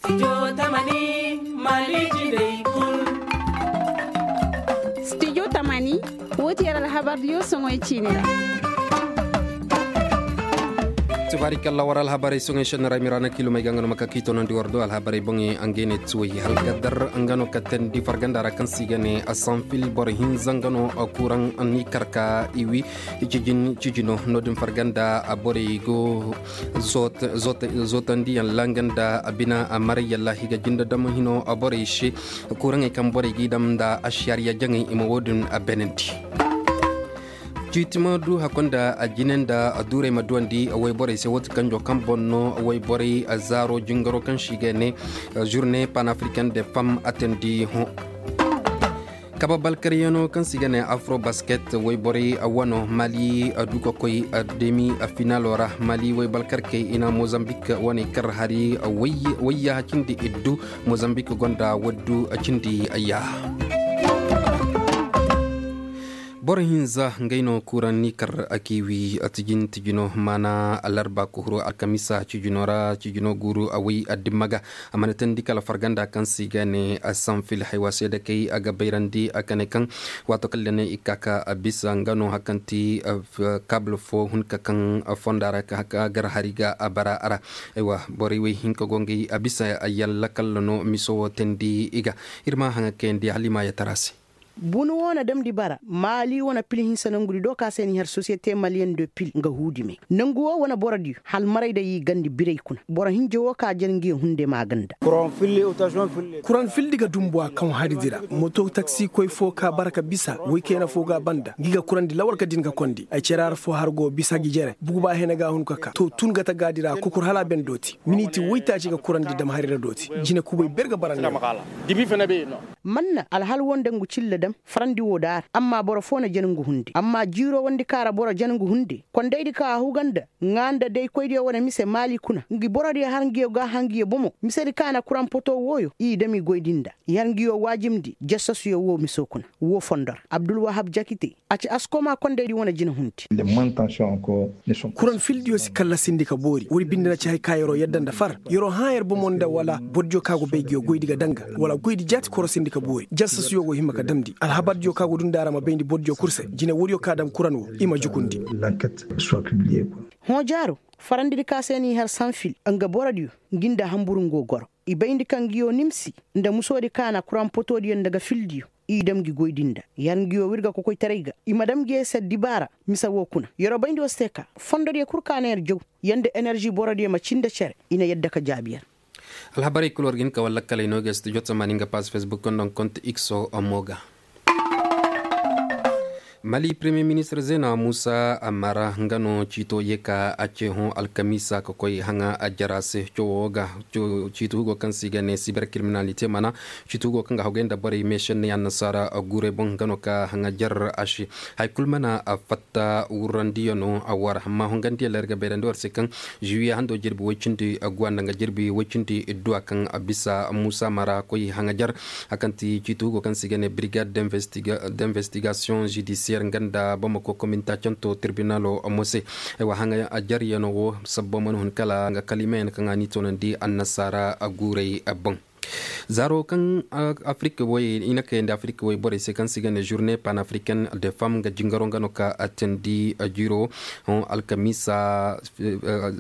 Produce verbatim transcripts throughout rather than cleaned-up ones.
Studio tamani, woo ti yer alhabar diyo soŋoy ciini ra. Tubaari kalla war alhabarey soŋoy senni ra miraana kilomey ga nga no ma ka k'i tonandi war do alhabarey boŋey nga ne tuwey halgadar nga no ka teendi farganda ra kaŋ se i ga ne asanfil boro hinza nga no kuraŋ ni karka i wi. Cijino no-din farganda borey go zootandiyaŋ ra nga nda bina maray yalla i ga jinde dam hino borey se. Kuraŋey kaŋ borey g'i dam nda ašariya jaŋey i ma woo din beenandi. Ciiti ma du hakko nda jine nda duurey ma duwandi wayborey se woo ti kanjo kaŋ boŋ no wayborey zaaro jingaro kaŋ se i ga ne zurne panafrikan de fam atandi hõ. Kaba balkaryaŋo kaŋ se i ga ne afro basket wayborey wano mali du ka koy demi finalo ra mali waybalkarkey i na mozambik waney kar hari wayya cindi iddu. Mozambik gonda waddu cindi yaaha. Boro hinza ngey no kuraŋ ni kar a k'i wi tijin tijino maana alarba kuhuru alkamisa cijino ra cijino guuru a way addimma ga. A mana teendi kala farganda kaŋ se i ga ne sanfil haywa seedakey a ga bayrandi a kane kaŋ waato kala ne i ka ka bisa nga no hakanti kabla fo hunka kaŋ fonda ra ka gar hari ga a bara a ra. Borey wey hinka go ngey a bisa yalla kalla no miso wo teendi i ga. Ir ma haŋa kayandi halima ya tara se. Bunu wo na damndi bara maali wane pil hinsa nangudi do ka se ni har sosiyete maliyen do pil nga huudi me nangu wo wane borodiyo halmaray day i gandi biray kuna boro hinja wo ka jan ngiyo hunde maaganda. Kuraŋ fildi ga dumbu a kaŋ haridi ra moto taksikoy fo ka bara ka bisa woy kayna fo ga a banda ngi ga kurandi lawal ka din ga kondi ay cere har fo har go bisa gi jere bugu ba hene ga hun ka ka to tun ga tagaadi ra kokur hala ben dooti miniti woytaaci ga kurandi dam hari ra dooti jine kubay ber ga bara ne. Manna alhal wo nda ngu cilla dam farandi wo daara amma boro fo na jan ngu hunde amma jiiro wondi ka ra boro jan ngu hunde kondaydi ka a huga nda ŋaa nda daykoydiyo wane mise maali kuna ngi borodiyo har ngiyo gaaha ngiyo bomo misedi ka na kuraŋ poto wooyo i dam i goydi nda i har ngiyo waajibndi jasasuyo woo miso kuna woo fondo ra abdulwahab jakite a ci askoma kondaydi wane jina hundi. Kuraŋ fildiyo si kallasindi ka boori woodi binde na ci hay ka yer'o yadda nda far yer'o hã yer bomo nda wala bordiyo ka go bay ngiyo goydi ga danga wala goydi jaati korosindi ka boori jasasuyo go hima ka damndi alhabardiyo ka go dunda ra ma bayndi bordiyo kul se jine woodiyo ka dam kuraŋ wo i ma jukundi. Hõ jaaro farandidi ka se n'i har sanfil nga borodiyo ngi nda hanbur ngo goro i bayndi kaŋ ngiyo nimsi nda musoodi ka na kuraŋ potodiyo nda ga fildiyo i dam ngi goydi nda i har ngiyo wirga kokoytaray ga i ma dam ngiyo se dibaara mise woo kuna yer'o bayndi woo se te ka fondodiyo kul ka na yer jaw yer nda enerži borodiyo ma cii nda cere i na yadda ka jaabi yer. Alhabarey kul war ga hin ka war lakkaley no ga studio tamani nga pass facebook nda nga konte ikso mo ga. Mali premiye ministir zena musa amara nga no ciito ye ka a ce hõ alkamiisa ka koy haŋa a jara se coowo ga ciito hugo kaŋ se i ga ne siber kiriminalite mana ciito hugo kaŋ ga hagay nda borey meešenney annasaara guurey boŋ nga no ka haŋa jar a se. Hay kul mana fatta wurrandiyano a war amma hungandiya ler ga bayrandi war se kaŋ juwiye hando jirbi woy cindi guwa nda nga jirbi woy cindi idduwa kaŋ bisa musa mara koy haŋa jar. Hakanti ciiti hugo kaŋ se i ga ne brigade d'investigation judiciaire nga nda bamako kominta canto tirbinalo mo se. Ay wa haŋa jaryano wo sabbo mana hun kala nga kalimayan kaŋ a ni tonandi annasaara guurey boŋ. Zaaro kaŋ afirika way i na kayandi afirika way borey se kaŋ se i ga ne journée panafricaine de femme nga jingaro nga no ka a teendi jiiro. Alkamiisa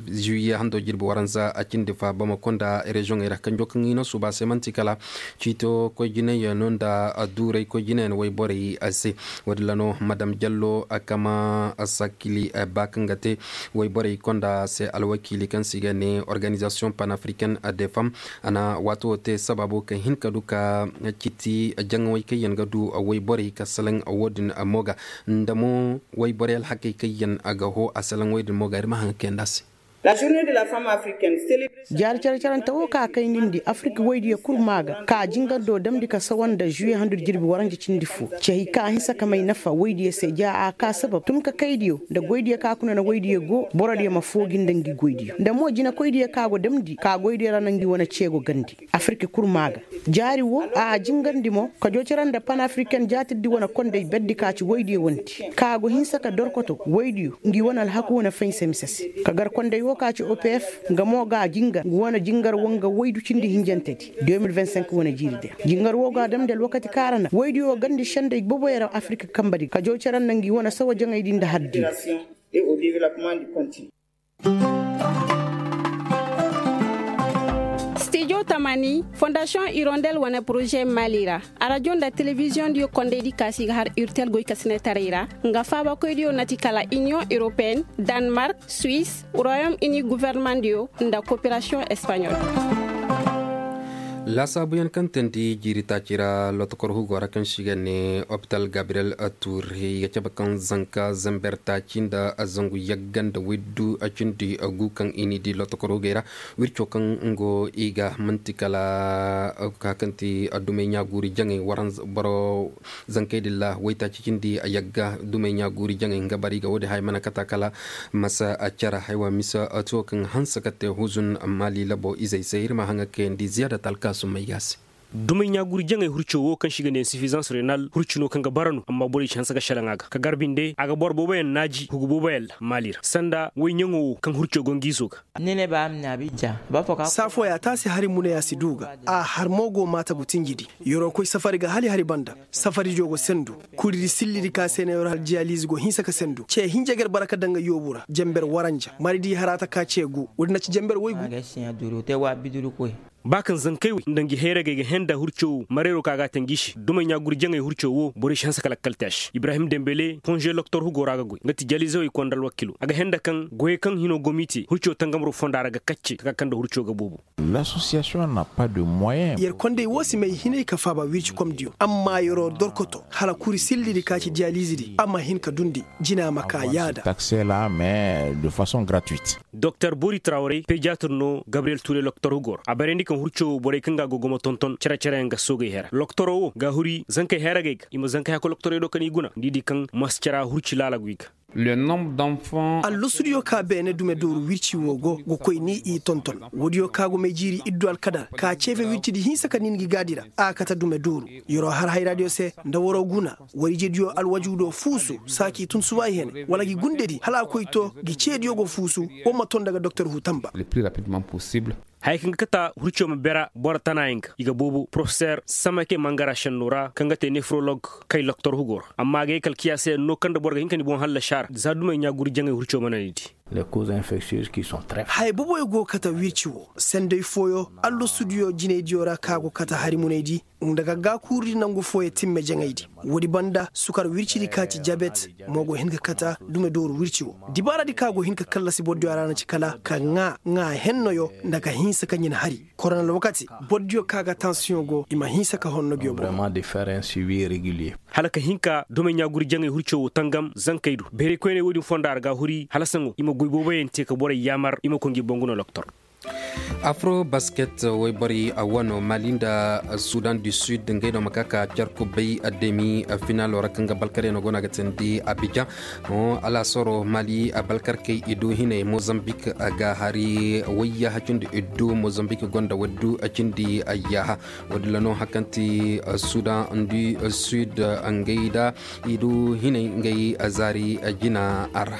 juwiye hando jirbi waranza a cindi fa bamako nda reziyoŋey ra kanjo kaŋ i na suuba se man'ti kala ciito koy jinayano nda duuray koy jinayan wayborey se. Woodin ra no madam jallo a kama sakili ba kaŋ ga te wayborey konda se alwakiili kaŋ se i ga ne organizasiyoŋ panafricaine de femme. A na waato wo te sababo ka hin ka du ka ciiti jaŋawey kaŋ yaŋ ga du wayborey ka salaŋ woodin mo ga nda mo wayborey alhakey kaŋ yaŋ ga hoo a salaŋ woodin mo ga ir ma haŋ kayandi a se. Jaari care carante wo ka kaynindi afirika woydiyo kul maa ga ka jingando damndi ka sawa nda juye handu jirbi waranja cindi fo. Cey ka hinsa ka may nafa woydiyo se ja a ka sabab tun ka kaydiyo nda goydiyo ka kuna na woydiyo go borodiyo ma foogi nda ngi goydiyo nda mo jinekoydiyo ka go damndi ka goydiyo ra na ngi wane ceego gandi. Afirka kul maa ga jaari wo a jingarndi mo ka joocira nda panafriken jaatirdi wane kondey berdi ka ci woydiyo wanti ka go hinsa ka dorkoto woydiyo ngi wane alhaku wane faynsa mise se ka gar kondey wo. Ka ci opf nga mo ga jingar nga wane jingar woo nga waydu cindi hinjantedi. Deux mille vingt cinq wane jiiri di ra jingar woo ga a damndi alwakati kaŋ a ra na waydiyo gandi sendey boboyey ra afirka kanbedi ga jaw cere nda ngi wane sawa jaŋaydi nda hardiyo. Stijo tamani fondasiyoŋ irondel wane poroze maali ra. Arajo nda telebiziyoŋ diyo kondaydi ka se i ga har urtel goykasinetaray ra. Nga faabakoydiyo na ti kala iniyoŋ europeyen, danmark, suwis, royom ini gofornamaŋ diyo nda koperasiyoŋ espaɲol. Laasaabuyaŋ kaŋ teendi jiiri taaci ra lotokor hugo ra kaŋ se i ga ne opital gabriyel tuur i ga cabe kaŋ zanka zamber taaci nda zangu yagga nda waydu cindi gu kaŋ i n'i di lotokor hugey ra. Wirco kaŋ ngo i ga man'ti kala ka kaŋ ti dumey ɲaaguuri jaŋey waranza boro zankey din ra waytaaci cindi yagga dumey ɲaaguuri jaŋey nga bara i ga woodin haya mana kata kala masa care haywa misa tuwo kaŋ hanse ka te huzun maali labo izey se ir ma haŋa kayandi ziyaada talkaasumey ga se. Dumey ɲaaguuri jaŋey hurco wo kaŋ se i ga ne insifizans renal hurci no kaŋ ga bara no amma borey si hanse ga selaŋ a ga ka gar binde a ga boro booboyaŋ naaji hugu booboyaŋ ra maali ra sanda woy ɲaŋo wo kaŋ hurco go nga izo ga. Saafooya taasi hari muneya si du ga a har mo go maatagu tinjidi. Yer'o koy safari ga hala i hari banda. Safaridiyo go sendu. Kuridi sillidi ka se na yer'o har diyaliize go hinsa ka sendu ce hinja ga yer bara ka daŋ ga yoobu ra janber waranja maridi haraata ka ce gu woodin na ci janber waygu. Ba kaŋ zankey wey nda ngi hayragey ga hẽe nda hurco wo mareero ka ga a te ngi se dumey ɲaaguri jaŋey hurco wo borey si hanse ka lakkal te a se ibrahim dembele konže loktor hugo ra ga goy nga ti jalizewey konda alwakilo a ga hẽe nda kaŋ goyey kaŋ hino gomite hurco tangamro fonda ra ga kacce taka kaŋ nda hurco ga boobo. Yer kondey wo si may hinay ka faaba wirci komdiyo amma yeroo dorkoto hala kuri sillidi ka ci diyalizidi a ma hin ka dundi jina ma ka yaada. Doktor bori trawrey pediatir no gabriyel ture loktor hugo ra a barandi kaŋ hurco wo borey kaŋ ga a go ga ma tonton cere-cereyaŋ ga soogey hera loktoro wo ga a huri zankey heragey ga i ma zankey hakka loktorey do kaŋ i guna nda i di kaŋ masu cara hurci laala go i ga. Allosudiyo ka beene dume dooru wirci wo go ga koy ni i tonton. Woodiyo ka go may jiiri iddu alkadar ka ceefe wircidi hinsa ka nin gi gaadi ra a kate dume dooru. Yeroo har hayraadiyo se nda waroo guna war ijediyo alwajuudo fuusu saa k'i tun suba i hene wala gi gundedi hala a koy to gi ceediyo go fuusu. War ma ton daga doktor huutamba. Haya kaŋ ga kata hurco ma bera boro tanaayaŋ ga i ga boobo porofeseer samake mangara šenno ra kaŋ ga te nefrolog kay loktor hugo ra amma a ga ye kala kiyaasa yaŋ no kaŋ nda boro ga hin ka ni boŋ hallasi a ra za dumey ɲaaguri jaŋay hurco mana ni di. Haya booboyaŋ go ga kata wirci wo sanday fooyo allosudiyo jinaydiyo ra kaŋ a go ga kata hari munaydi nda gaggaa kuurudi nangu fooyaŋ timme jaŋaydi. Woodi banda sukar wircidi ka ci jabet mo go hin ka kata dume dooru wirci wo. Dibaaradi kaŋ a go hin ka kallasi borodiyo a ra na ci kala ka ŋaa ŋaa hennoyo nda ka hinsa ka ɲin hari korona alwakati. Borodiyo kaŋ a ga tansiyoŋ go i ma hinsa ka honno giyo boŋ. Hala ka hin ka dumey ɲaaguri jaŋay hurco wo tangam zankey do beerey koyney woodin fonda ra ga a huri hala saŋo i ma goy booboyaŋ te ka borey yaamar i ma koy ngi boŋ guna loktor. Afro basket wayborey a wano mali nda sudan du sud ngey no ma ka ka carku bay demi finalo ra kaŋ ga balkaryaŋo go no a ga teendi abijan. Alaasaro mali balkarkey i du hinay mozambik ga hari wayyaha cindi iddu mozambik gonda waddu cindi ayyaha. Woodin ra no hari kaŋ ti sudan du sud ngey da i du hinay ngey zaari jina ra.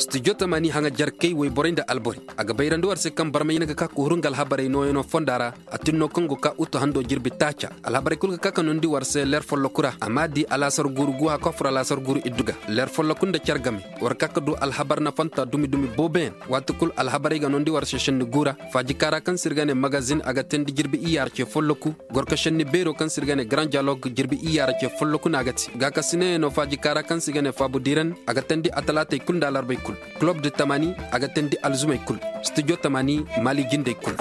Studio tamani haŋa jarkey wayborey nda alborey a ga bayrandi war se kaŋ barmay na ga ka kuhuru nga alhabarey nooyaŋo fonda ra. A tin no kaŋ go ka utu hando jirbi taaca alhabarey kulu ga ka ka nondi war se leer folloku ra a ma di alaasar guuru guha ka fur alaasar guuru iddu ga leer folloku nda car game. War ka ka du alhabar nafanta dumi dumi booboyaŋ waati kulu alhabarey ga nondi war se šenni guura. Faaji kaara kaŋ se ir ga ne magazin a ga teendi jirbi iyya ra ce folloku. Gorko šenni beero kaŋ se ir ga ne grand dialogue jirbi iyya ra ce folloku no a ga te gaakasinayano faaji kaara kaŋ se i ga ne faabu diiran a ga teendi atalaatey kulu nda alarbey kulu. Kulob de tamani a ga teendi alzumey kulu. Studio tamani mali jindey kulu.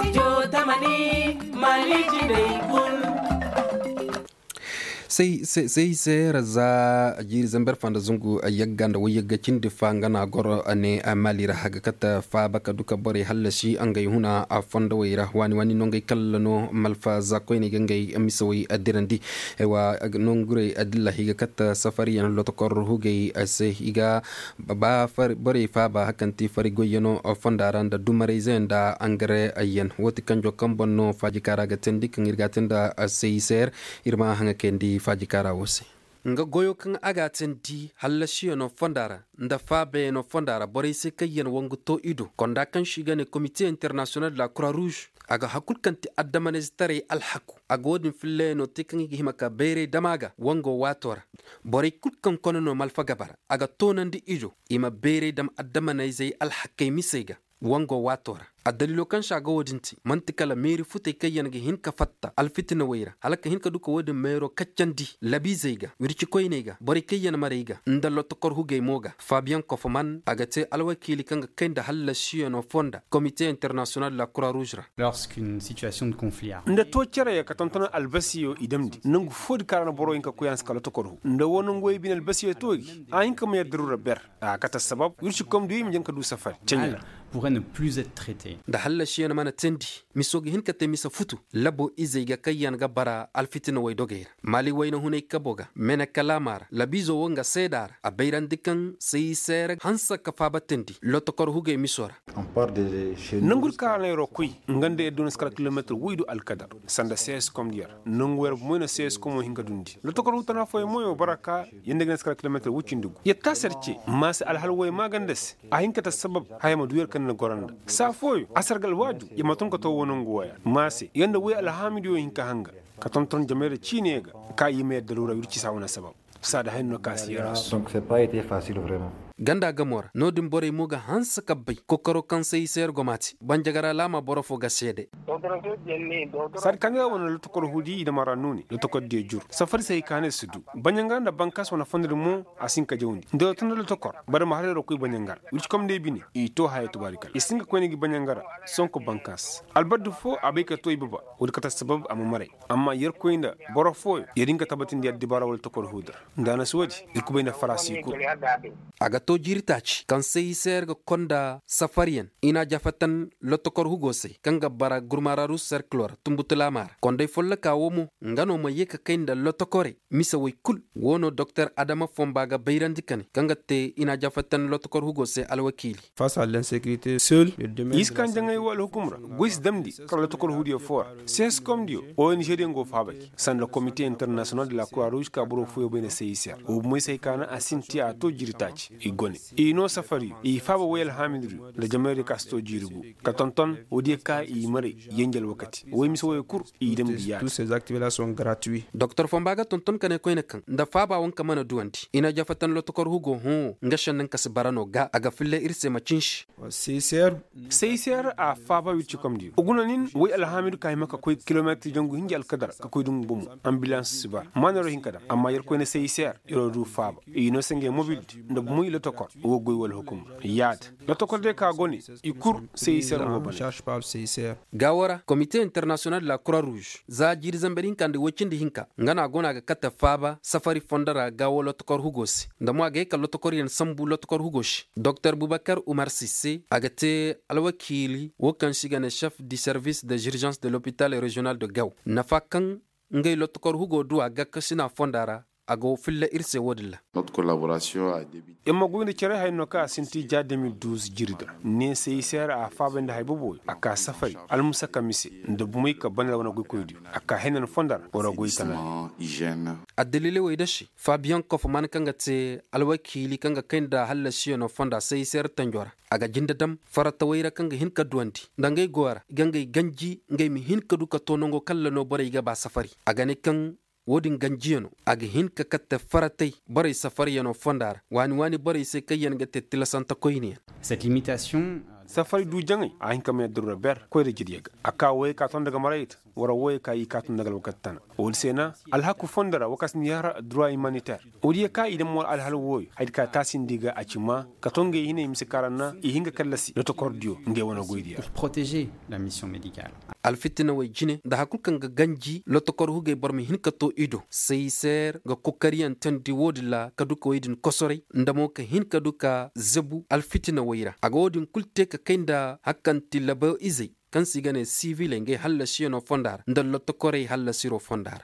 Say say say ra za jiiri zamber fanda zungu yagga nda wayyagga cindi fa nga na goro ne mali ra haga kata faaba ka duka borey hallasi ngey huna fondowey ra waani waani no ngey kalla no malfa za koyney ga ngey misawey dirandi. Aywa, nongurey adilla higa kata safariyan lotokor hugey se higa ba borey faaba hakanti fari goyyano fonda ra nda dumarayze nda angare ayyan woti kanjo kamban no faaji kaara ga tindi kaŋ ir ga tinda. Seiser ir ma haŋa kayandi faaji kaara wo se. Nga goyo kaŋ a ga a tindi hallasiyano fonda ra nda faabayano fonda ra borey se kaŋ yaŋ wangu to i do konda kaŋ si ga ne komite international de la croix rouge. A ga hakul kaŋ ti addamanayzetaray alhaku a ga wo-din fillayano te kaŋ i ga hima ka bayray dama ga wango waato ra. Borey kul kaŋ kone no malfa gaba ra a ga toonandi i do i ma bayray dam addamanayzey alhakey misey ga. Wango waato ra addaliilo kaŋ se a ga wo-din te man'ti kala meeri futey kaŋ yaŋ ga hin ka fatta alfitinawey ra hala ka hin ka du ka wo-din meero kaccandi labiizey ga wircikoyney ga borey kaŋ yaŋ marey ga nda lotokor hugey mo ga fabiyaŋ kofoman a ga te alwakiili kaŋ ga kay nda hallasiyano fonda komite international de la croix rouge ra. Nda too cere ya ka tonton albasiyo i damndi nangu foodi kaŋ ra na boro hin ka koy a na si ka lotokor hu nda wo nangu wey bine albasiyo too gi a hin ka ma yar daruura ber. A kate assabab wirci komdiyo i ma jaŋ ka du safari ceɲe ra. Nda hallasiyaŋ mana teendi miso ga hin ka te mise futu labo izey ga kaŋ yaŋ ga bara alfitina waydogey ra maali wayna hunay kabo ga mene kalaama ra labiizo wo nga seeda ra a bayrandi kaŋ sayi seere hanse ka faaba teendi lotokor hugey miso ra. Nangu di kaŋ ra na yeroo koy nga nda yer du na si kala kilomeetir woy du alkadar sanda sees komdiyo ra nangu yer bomoy na sees komo hin ka dundi lotokor hu tana fooyaŋ mo yer bara ka yer nda ga na si kala kilomeetir woy cindi gu yer taasi yer ce maase alhal woy maaganda se. A hin ka ta sabab haya ma du yer kaŋ na goro nda saa fooyo a sargal waaju yer ma tun ka too wo nangu woya maase yer nda woy alhaamidiyo hin ka hanga ka tonton jamayra ciine ga ka i ma yer daruura wirci saa wane sabab. Saada haya no ka si yer a su. Ganda gamo ra no-din borey mo ga hanse ka bay kokaro kaŋ se i se yer go ma te banjagara laama boro fo ga seede. Saadi kaŋ ga wane lotokor hudi i dama ra no ne lotokor diyo jur safari se hay ka ne si du banjangara nda bankas wane fondo din mo a si hin ka jawndi nda yer tun nda lotokor bada ma har yer koy banjangara wirci komney bine i to haya tubaari kala i si hin ka koyne gi banjangara. Sonko bankas albardi fo a bay ka to i baba wo- din kate sabab a ma maray amma yerkoy nda boro fooyo yer hin ka tabatindi addibaara wala tokor huudu ra. Nda a na si wo- din ir kubay nda faraasi kul. A ga to jiiri taaci kaŋ se i se yer ga konda safariyaŋ i na a jafatan lotokor hugo se kaŋ ga bara gurmaararus serkilo ra tunbutulaama ra konday folloka wo mo nga no ma ye ka kay nda lotokorey mise woy kul. Wo no doktor adama fomba ga bayrandi kane kaŋ ga te i na a jafatan lotokor hugo se alwakiili. I si kaŋ jaŋay wo alhukum ra goy si damndi kala lotokor huudiyo foo ra. Seheskomdiyo ong diyo go faabay sanda komite internasiyonal de la kura ruuz ka boro fooyo bay nda se i se ra wo bomey se hay ka naŋ a sinti a to jiiri taaci i go ne i noo safariyo i faaba woy alhaamidiyo nda jamaydiyo ka si to jiiri gu ka tonton woodiyo ka i maray yenje alwakati woy mise woyo kul. I damndi yaada. Doktor fomba ga tonton ka ne koyne kaŋ nda faaba wanka mana duwandi i na jafatan lotokor hugo hõ nga šennaŋ ka si bara no ga a ga filla ir se ma cinsi. Seyser a faaba wircikomdiyo guna nin woy alhaamidu ka hima ka koy kilometir jangu hinja alkadar ka koy dungu bomo. Ambilans si bara maanaro hinka dam amma yer koyne seyser yeroo du faaba. I noo se ngey mobildi nda bomoy lotokor wo goy wala hukumra yaada. Lotokor day ka go ne i kul seyser ngo bane. Gaawo ra komite internasiyonal de la kura ruuz za jiiri zamber hinka nda woy cindi hinka nga no a go no a ga kate faaba safari fondo ra gaawo lotokor hugo se nda mo a ga ye ka lotokoryaŋ sambu lotokor hugo se. Doktor bubakar umar sisse a ga te alwakiili wo kaŋ se i ga ne chef du service de zirgence de lopital regional de gaawo nafa kaŋ ngey lotokor hugo du a ga kasina fonda ra. A go filla ir se wo-din ra. Yer ma goy nda care haya no kaŋ a sinti ja de mil duuz jiiri din ra ne se i se hara a faabay nda hay boboyo a ka safari almusaka mise nda bumey ka bane ra wane goykoydiyo a ka henan fonda ra war ga goy tana. Addaliley wey da se fabiyaŋ kofoman kaŋ ga te alwakiili kaŋ ga kay nda hallasiyano fonda se i se hara tanjo ra. A ga jinde dam faratawey ra kaŋ ga hin ka duwandi nda ngey goyo ra i ga ngey ganji ngey ma hin ka du ka to nango kaŋ ra no borey ga ba safari a ga ne kaŋ wo-din ganjiyano a ga hin ka katte faratey borey safariyano fonda ra waani waani borey se kaŋ yaŋ ga te tilasante koyneyaŋ. Safari du jaŋay a hin ka may adduruura ber koyra jirya ga a ka wooyey ka ton daga marayta wara wooyey ka i ka ton daga alwakati tana. Woodi se na alhaku fondo ra wo ka si ni har adduruura imaniter woodiyo ka i dam war alhal wooyo haydi ka taasindi ga a ci maa ka ton ngey hinay mise kaŋ ra na i hin ka kallasi lotokordiyo ngey wane goydiyo ra. alfitinawey jine nda har kul kaŋ ga ganji lotokor hugey boro ma hin ka to i do. Seeser ga kokariyaŋ teendi wo-din ra ka du ka wey din kosoray nda mo ka hin ka du ka zebu alfitinawey ra a ga wo-din kul te ka kay nda har kaŋ ti labo izey kaŋ se i ga ne siviley ngey hallasiyanoo fonda ra nda lotokorey hallasiroo fonda ra.